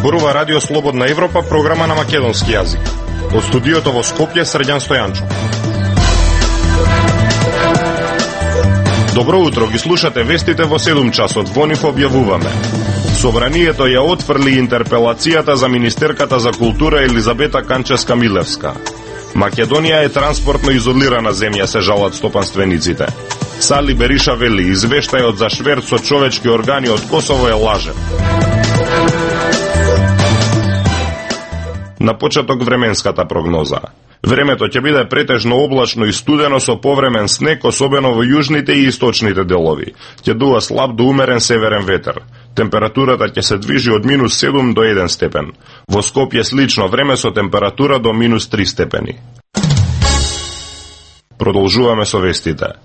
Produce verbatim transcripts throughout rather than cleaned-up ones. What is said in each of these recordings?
Зборува Радио Слободна Европа, програма на македонски јазик. Од студиото во Скопје, Срđan Стојанчов. Добро утро, ги слушате вестите во седум часот. Во нив објавуваме: Собранието ја отфрли интерпелацијата за министерката за култура Елизабета Канчевска-Милевска. Македонија е транспортно изолирана земја, се жалат стопанствениците. Сали Бериша вели, извештајот за шверт со човечки органи од Косово е лажен. На почеток временската прогноза. Времето ќе биде претежно облачно и студено со повремен снег, особено во јужните и источните делови. Ќе дува слаб до умерен северен ветер. Температурата ќе се движи од минус седум до еден степен. Во Скопје слично време со температура до минус три степени. Продолжуваме со вестите.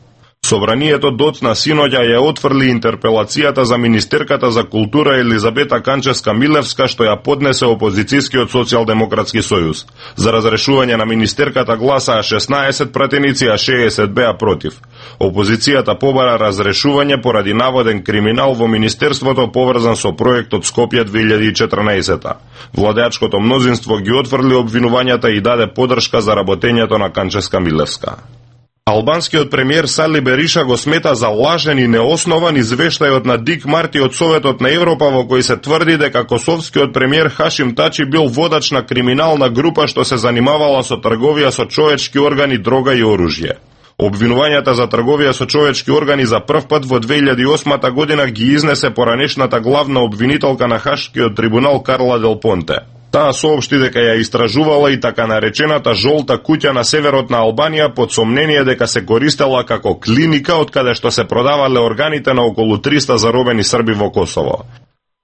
Собранието доцна синоќа ја отфрли интерпелацијата за министерката за култура Елизабета Канчевска-Милевска, што ја поднесе опозицијскиот социјалдемократски сојуз. За разрешување на министерката гласаа шеснаесет пратеници, а шеесет беа против. Опозицијата побара разрешување поради наводен криминал во министерството поврзан со проектот Скопје две илјади и четрнаесета. Владеачкото мнозинство ги отфрли обвинувањата и даде подршка за работењето на Канчевска-Милевска. Албанскиот премиер Сали Бериша го смета за лажен и неоснован извештајот на Дик Марти од Советот на Европа, во кој се тврди дека косовскиот премиер Хашим Тачи бил водач на криминална група што се занимавала со трговија со човечки органи, дрога и оружје. Обвинувањата за трговија со човечки органи за прв пат во две илјади и осма година ги изнесе поранешната главна обвинителка на Хашкиот трибунал Карла Дел Понте. Таа соопшти дека ја истражувала и така наречената жолта куќа на северот на Албанија под сомнение дека се користела како клиника од каде што се продавале органите на околу триста заробени срби во Косово.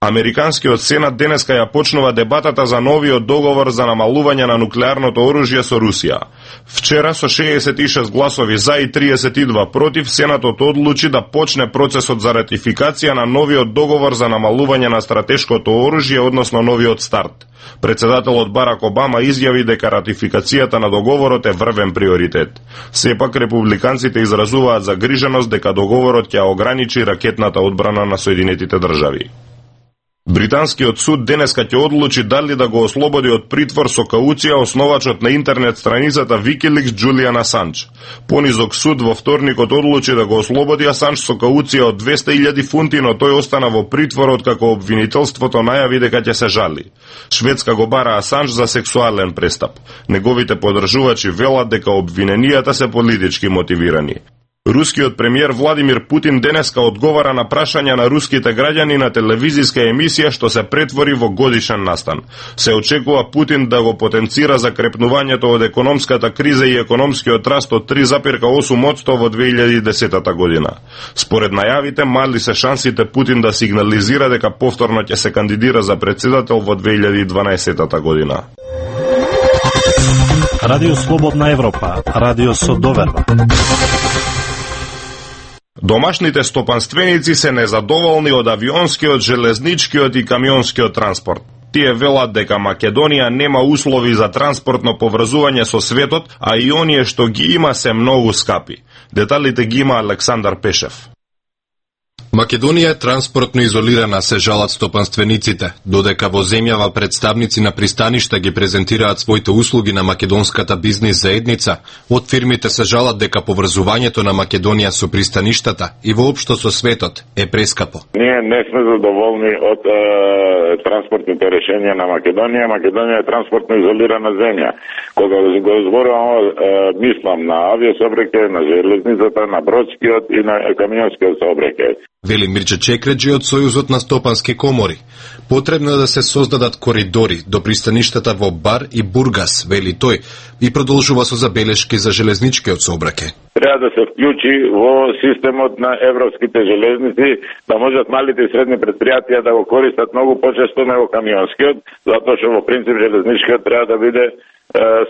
Американскиот сенат денеска ја почнува дебатата за новиот договор за намалување на нуклеарното оружје со Русија. Вчера со шеесет и шест гласови за и триесет и два против, сенатот одлучи да почне процесот за ратификација на новиот договор за намалување на стратешкото оружје, односно новиот старт. Председателот Барак Обама изјави дека ратификацијата на договорот е врвен приоритет. Сепак републиканците изразуваат загриженост дека договорот ќе ограничи ракетната одбрана на Соединетите држави. Британскиот суд денеска ќе одлучи дали да го ослободи од притвор со кауција основачот на интернет страницата Wikileaks Џулијан Асанџ. Понизок суд во вторникот одлучи да го ослободи Асанџ со кауција од двесте илјади фунти, но тој остана во притвор откако обвинителството најави дека ќе се жали. Шведска го бара Асанџ за сексуален престап. Неговите поддржувачи велат дека обвиненијата се политички мотивирани. Рускиот премиер Владимир Путин денеска одговара на прашања на руските граѓани на телевизиска емисија што се претвори во годишен настан. Се очекува Путин да го потенцира закрепнувањето од економската криза и економскиот раст од три запирка осум одсто во две илјади и десета година. Според најавите, мали се шансите Путин да сигнализира дека повторно ќе се кандидира за председател во две илјади и дванаесета година. Радио Слободна Европа, радио со доверба. Домашните стопанственици се незадоволни од авионскиот, железничкиот и камионскиот транспорт. Тие велат дека Македонија нема услови за транспортно поврзување со светот, а и оние што ги има се многу скапи. Деталите ги има Александар Пешев. Македонија е транспортно изолирана, се жалат стопанствениците, додека во земјава представници на пристаништа ги презентираат своите услуги на македонската бизнис заедница. Од фирмите се жалат дека поврзувањето на Македонија со пристаништата и воопшто со светот е прескапо. Ние не сме задоволни од е, транспортните решенија на Македонија. Македонија е транспортно изолирана земја. Кога го зборувам, е, мислам на авиособраќај, на железницата, на бродскиот и на камионскиот сообраќај. Вели Мирче Чекреджи од Сојузот на стопански комори. Потребно е да се создадат коридори до пристаништата во Бар и Бургас, вели тој, и продолжува со забелешки за железничкиот сообраќај. Треба да се вклучи во системот на европските железници, да можат малите и средни предпријатија да го користат многу почесто него камионскиот, затоа што во принцип железничкиот треба да биде е,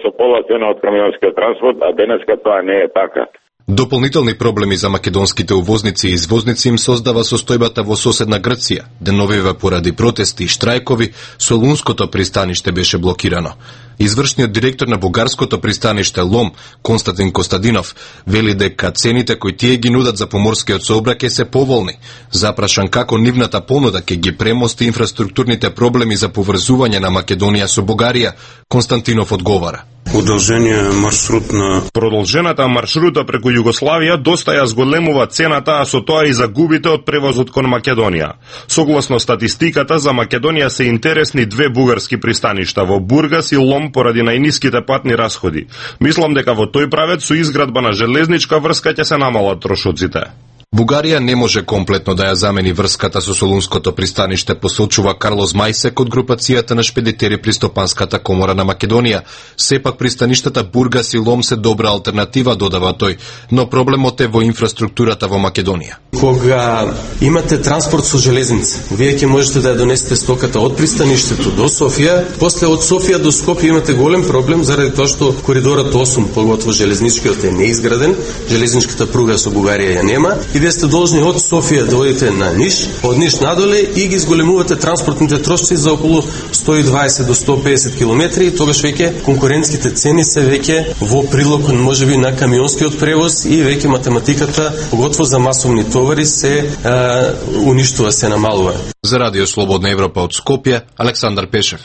со пола цена од камионскиот транспорт, а денеска тоа не е така. Дополнителни проблеми за македонските увозници и извозници им создава состојбата во соседна Грција. Деновиве поради протести и штрајкови, Солунското пристаниште беше блокирано. Извршниот директор на бугарското пристаниште Лом, Константин Костадинов, вели дека цените кои тие ги нудат за поморскиот сообраќај се поволни. Запрашан како нивната понуда ќе ги премости инфраструктурните проблеми за поврзување на Македонија со Бугарија, Константинов одговара. Удолжениот маршрут на Продолжената маршрута преку Југославија доста ја зголемува цената, а со тоа и загубите од превозот кон Македонија. Согласно статистиката, за Македонија се интересни две бугарски пристаништа во Бургас и Лом поради најниските патни расходи. Мислам дека во тој правец со изградба на железничка врска ќе се намалат трошоците. Бугарија не може комплетно да ја замени врската со Солунското пристаниште, посочува Карлос Мајсек од групацијата на шпедитери при Стопанската комора на Македонија. Сепак пристаништата Бургас и Лом се добра алтернатива, додава тој, но проблемот е во инфраструктурата во Македонија. Кога имате транспорт со железница, вие ќе можете да ја донесете стоката од пристаништето до Софија, после од Софија до Скопје имате голем проблем заради тоа што коридорот осум, поготово железничкиот е неизграден, железничката пруга со Бугарија ја нема. И вие сте должни од Софија да одите на Ниш, од Ниш надоле и ги зголемувате транспортните трошоци за околу сто и дваесет до сто и песет километри, и тогаш веќе конкурентските цени се веќе во прилог можеби на камионскиот превоз и веќе математиката, поготово за масовни товари, се а, уништува, се намалува. За Радио Слободна Европа од Скопје, Александар Пешев.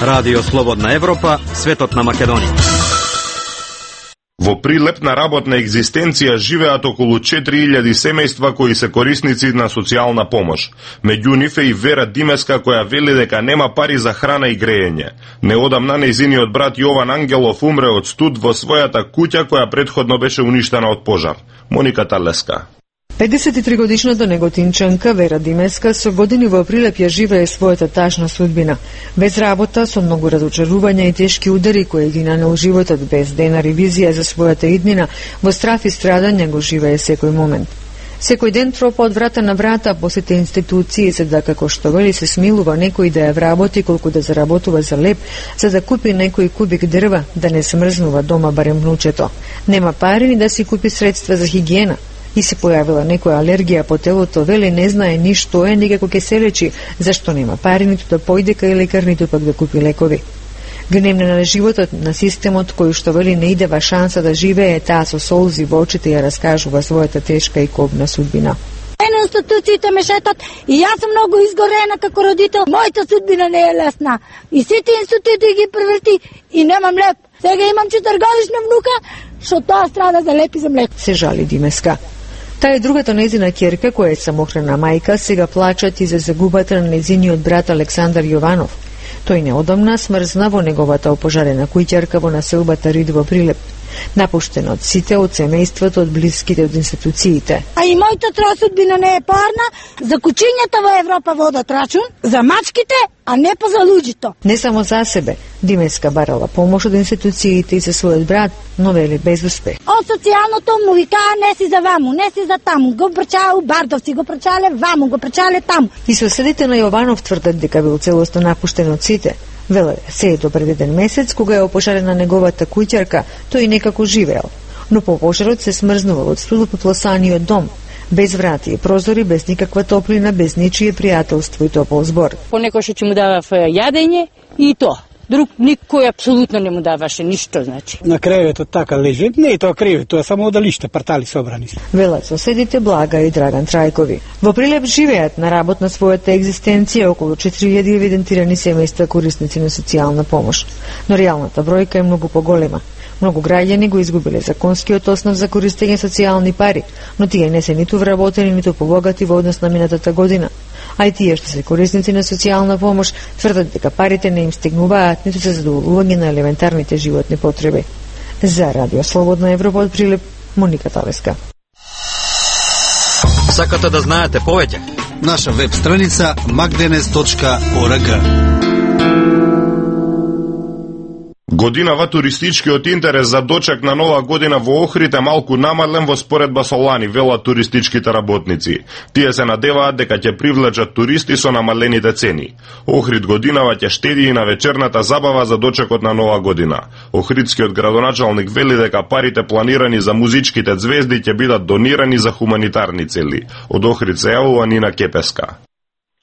Радио Слободна Европа, светот на Македонија. Во Прилеп на работна екзистенција живеат околу четири илјади семејства кои се корисници на социјална помош. Меѓу нив е и Вера Димеска, која вели дека нема пари за храна и грејење. Неодамна нејзиниот брат Јован Ангелов умре од студ во својата куќа која претходно беше уништена од пожар. Моника Талеска. педесет и три годишната неготинчанка Вера Димеска со години во Прилеп ја живее својата тажна судбина. Без работа, со многу разочарувања и тешки удари кои ги нанел животот, без денар и визија за својата иднина, во страф и страдање го живее секој момент. Секој ден тропа од врата на врата по сите институции, за да, како што вели, се смилува некој да ја вработи колку да заработува за леп, за да купи некој кубик дрва, да не смрзнува дома барем внучето. Нема пари ни да си купи средства за хигиена. И се појавила некоја алергија по телото, вели не знае ни што е, ни како ќе се лечи, зашто нема пари ниту да појде кај лекар, ниту пак да купи лекови. Гневна на животот, на системот кој што вели не идева шанса да живее, таа со солзи во очите ја раскажува својата тешка и кобна судбина. Ено институциите ме шетат и јас сум многу изгорена како родител. Мојата судбина не е лесна. И сите институции ги преврти и немам леп. Сега имам четиригодишна внука, што тоа страда за леп и за млеко. Се жали Димеска. Таа е другата нејзина ќерка, која е самохрана мајка, сега плачат и за загубата на нејзиниот брат Александар Јованов. Тој неодамна смрзна во неговата опожарена куќарка во населбата Рид во Прилеп. Напуштен од сите, од семејството, од блиските, од институциите. А и мојата троја судбина не е парна, за кучињата во Европа водат рачун, за мачките, а не па за луѓето. Не само за себе, Димеска барала помош од институциите и за својот брат, но вели без успех. Од социјалното му викаа не си за ваму, не си за таму, го прачаа у Бардовци, го прачале ваму, го прачале таму. И соседите на Јованов тврдат дека бил целосно напуштен од сите. Веле, се е до пред еден месец, кога е опожарена неговата куќарка, тој некако живеел. Но по пожарот се смрзнувал од студот потласаниот дом, без врати и прозори, без никаква топлина, без ничие пријателство и топол збор. Понекој што му дава јадење и то. Друг никој апсолутно не му даваше ништо, значи. На креветот така лежи, не е тоа кревет, тоа е само одалиште, партали собрани. Велат соседите Блага и Драган Трајкови. Во Прилеп живеат на работ на својата екзистенција околу четири илјади евидентирани семејства корисници на социјална помош. Но реалната бројка е многу поголема. Многу граѓани го изгубиле законскиот основ за користење социјални пари, но тие не се ниту вработени, ниту побогати во однос на минатата година. А и тие што се корисници на социјална помош тврдат дека парите не им стигнуваат ниту за задоволување на елементарните животни потреби. За Радио Слободна Европа од Прилеп, Моника Талеска. Сакате да знаете повеќе? Наша веб страница magdenes точка org. Годинава туристичкиот интерес за дочек на нова година во Охрид е малку намален во споредба со лани, велат туристичките работници. Тие се надеваат дека ќе привлечат туристи со намалените цени. Охрид годинава ќе штеди и на вечерната забава за дочекот на нова година. Охридскиот градоначалник вели дека парите планирани за музичките звезди ќе бидат донирани за хуманитарни цели. Од Охрид се јавува Нина Кепеска.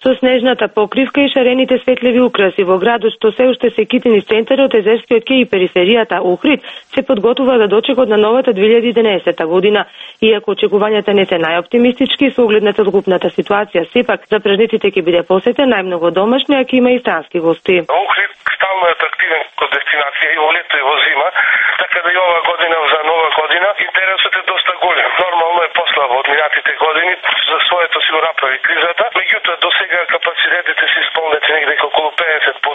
Со снежната покривка и шарените светливи украси во градот што се уште се кити низ центарот, Езерскиот кеј и периферијата Охрид се подготвува да дочекот на новата две илјади и единаесета година. Иако очекувањата не се најоптимистички со оглед на целокупната ситуација, сепак за празниците ќе биде посетен најмногу домашни, а ќе има и странски гости. Охрид стално е атрактивен како дестинација и во лето и во зима, така да и ова година за нова година интересот е доста голем. Нормално е послабо од минатите години, за своето си го направи кризата. Меѓутоа до сега капацитетите се исполнети негде околу педесет проценти.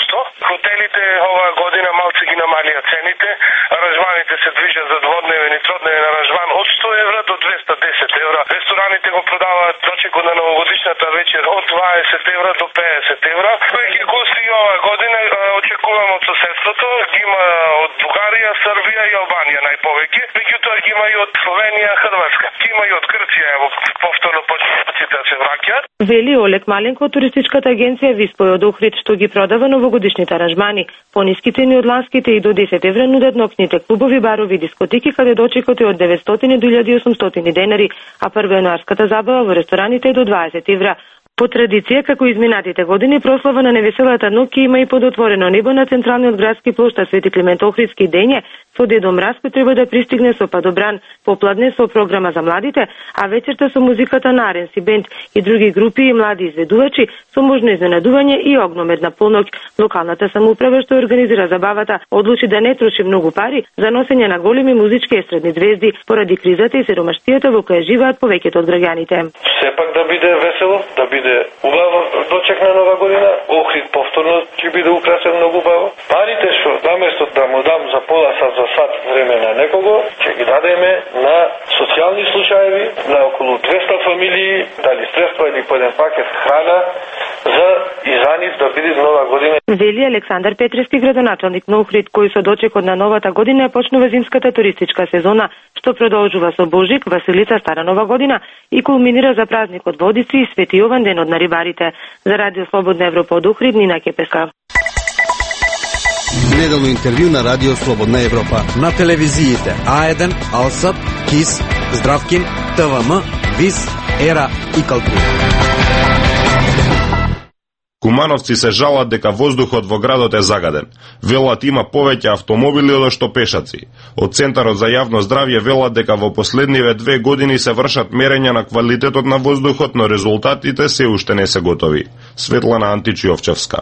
Хотелите оваа година малце ги намалија цените, аранжманите се движат за дводневен и тродневен аранжман од сто евра до двеста десет евра. Рестораните го продаваат дочекот на новогодишната вечер од дваесет евра до педесет евра. Веќе гости оваа година очекувам од соседството, ги има од Бугарија, Србија и Албанија најповеќе, меѓутоа ги има и од Словенија, Хрватска. Ги има и од Грција, ево повторно почетниците се враќаат. Вели Олег Маленко од туристичката агенција Виспој од Охрид, што ги продава новогодишните аранжмани. Пониски цени од ланските и до десет евра нудат ноќните клубови, барови и дискотеки, каде дочекот е од деветстотини до илјада и осумстотини денари, а првојануарската забава во рестораните е до дваесет евра. По традиција, како изминатите години, прослава на невеселата ноќ има и под отворено небо на централниот градски плошад Свети Климент Охридски дење, со Дедо Мраз кој треба да пристигне со падобран, попладне со програма за младите, а вечерта со музиката на Аренси Бенд и други групи и млади изведувачи со можно изненадување и огномедна полноќ. Локалната самоуправа што организира забавата одлучи да не троши многу пари за носење на големи музички естрадни звезди поради кризата и сиромаштијата во која живеат повеќето од граѓаните. Сепак да биде весело, да биде убаво дочек на нова година, Охрид повторно ќе биде украсен многу убаво. Парите што наместо да му дам за пола сат за сат време на некого, ќе ги дадеме на социјални случаеви, на околу двеста фамилии, дали средства или по еден пакет храна за и за нив да биде нова година. Вели Александар Петрески, градоначалник на Охрид, кој со дочекот на новата година почнува зимската туристичка сезона, што продолжува со Божик, Василица, Стара нова година и кулминира за празникот Водици и Свети Јован, денот на рибарите. За Радио Слободна Европа од Охрид, Нина Кепеска. Неделно интервју на Радио Слободна Европа. На телевизиите А еден, Алсат, КИС, Здравкин, ТВМ, ВИС, Ера и Калтур. Кумановци се жалат дека воздухот во градот е загаден. Велат има повеќе автомобили од што пешаци. Од Центарот за јавно здравје велат дека во последниве две години се вршат мерења на квалитетот на воздухот, но резултатите се уште не се готови. Светлана Античиовчевска.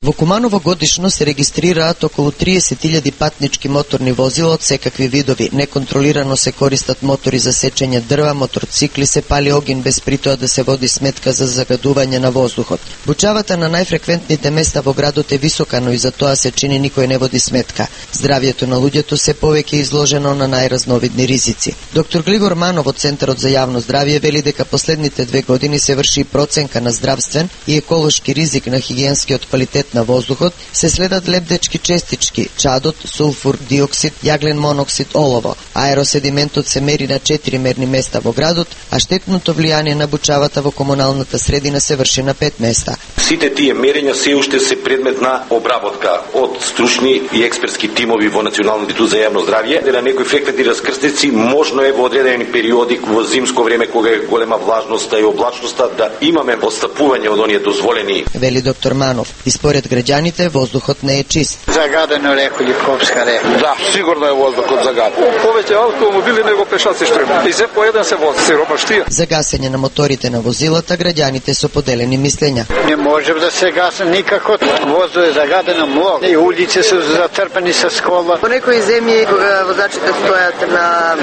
Во Куманово годишно се регистрираат околу триесет илјади патнички моторни возила од секакви видови. Неконтролирано се користат мотори за сечење дрва, моторцикли, се пали огин без притоа да се води сметка за загадување на воздухот. Бучавата на најфреквентните места во градот е висока, но и за тоа се чини никој не води сметка. Здравјето на луѓето се повеќе изложено на најразновидни ризици. Доктор Глигор Манов од Центарот за јавно здравје вели дека последните две години се врши проценка на здравствен и еколошки ризик на хигиенскиот квалитет на воздухот, се следат лебдечки честички, чадот, сулфур, диоксид, јаглен моноксид, олово. Аероседиментот се мери на четири мерни места во градот, а штетното влијание на бучавата во комуналната средина се врши на пет места. Сите тие мерења се уште се предмет на обработка од стручни и експертски тимови во Националниот институт за јавно здравје. На некои фреквентни раскрстици можно е во одредени периоди во зимско време кога е голема влажноста и облачноста да имаме отстапување од оние дозволени. Вели доктор Манов. И според граѓаните воздухот не е чист. Загадено река Липовска река. Да, сигурно е воздухот загаден. Повеќе автомобили него пешаци што има. И се по еден се вози, сиромаштија. За гасење на моторите на возилата граѓаните со поделени мислења. Не може да се гаси никако. Воздухот е загадено многу. И улици се затрпани со скола. По некои земји кога возачите стојат на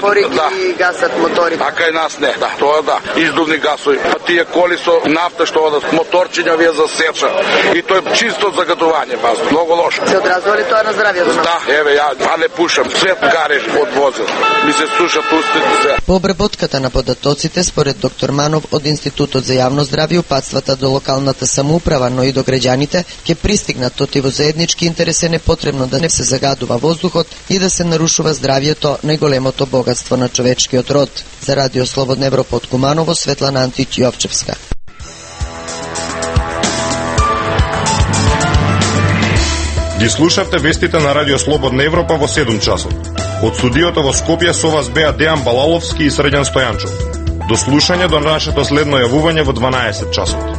порики да. И гасат моторите. А кај нас не. Да, тоа да. Издувни гасови. Па тие коли со нафта што одат моторчиња вие за сеча. И тоа е чисто загадување, баз, многу лошо. Се одразува ли тоа на здравјето? Да, еве ја, а не пушам, свет гареш од возил. Ми се сушат устите се. По обработката на податоците, според доктор Манов од Институтот за јавно здравје, упатствата до локалната самоуправа, но и до граѓаните, ќе пристигнат тоти во заеднички интерес е непотребно да не се загадува воздухот и да се нарушува здравјето, најголемото богатство на човечкиот род. За Радио Слободна Европа од Куманово, Светлана Антич Јовчевска. Ги слушавте вестите на Радио Слободна Европа во седум часот. Од студиото во Скопје со вас беа Дејан Балаловски и Срđan Стојанчов. До слушање до нашето следно јавување во дванаесет часот.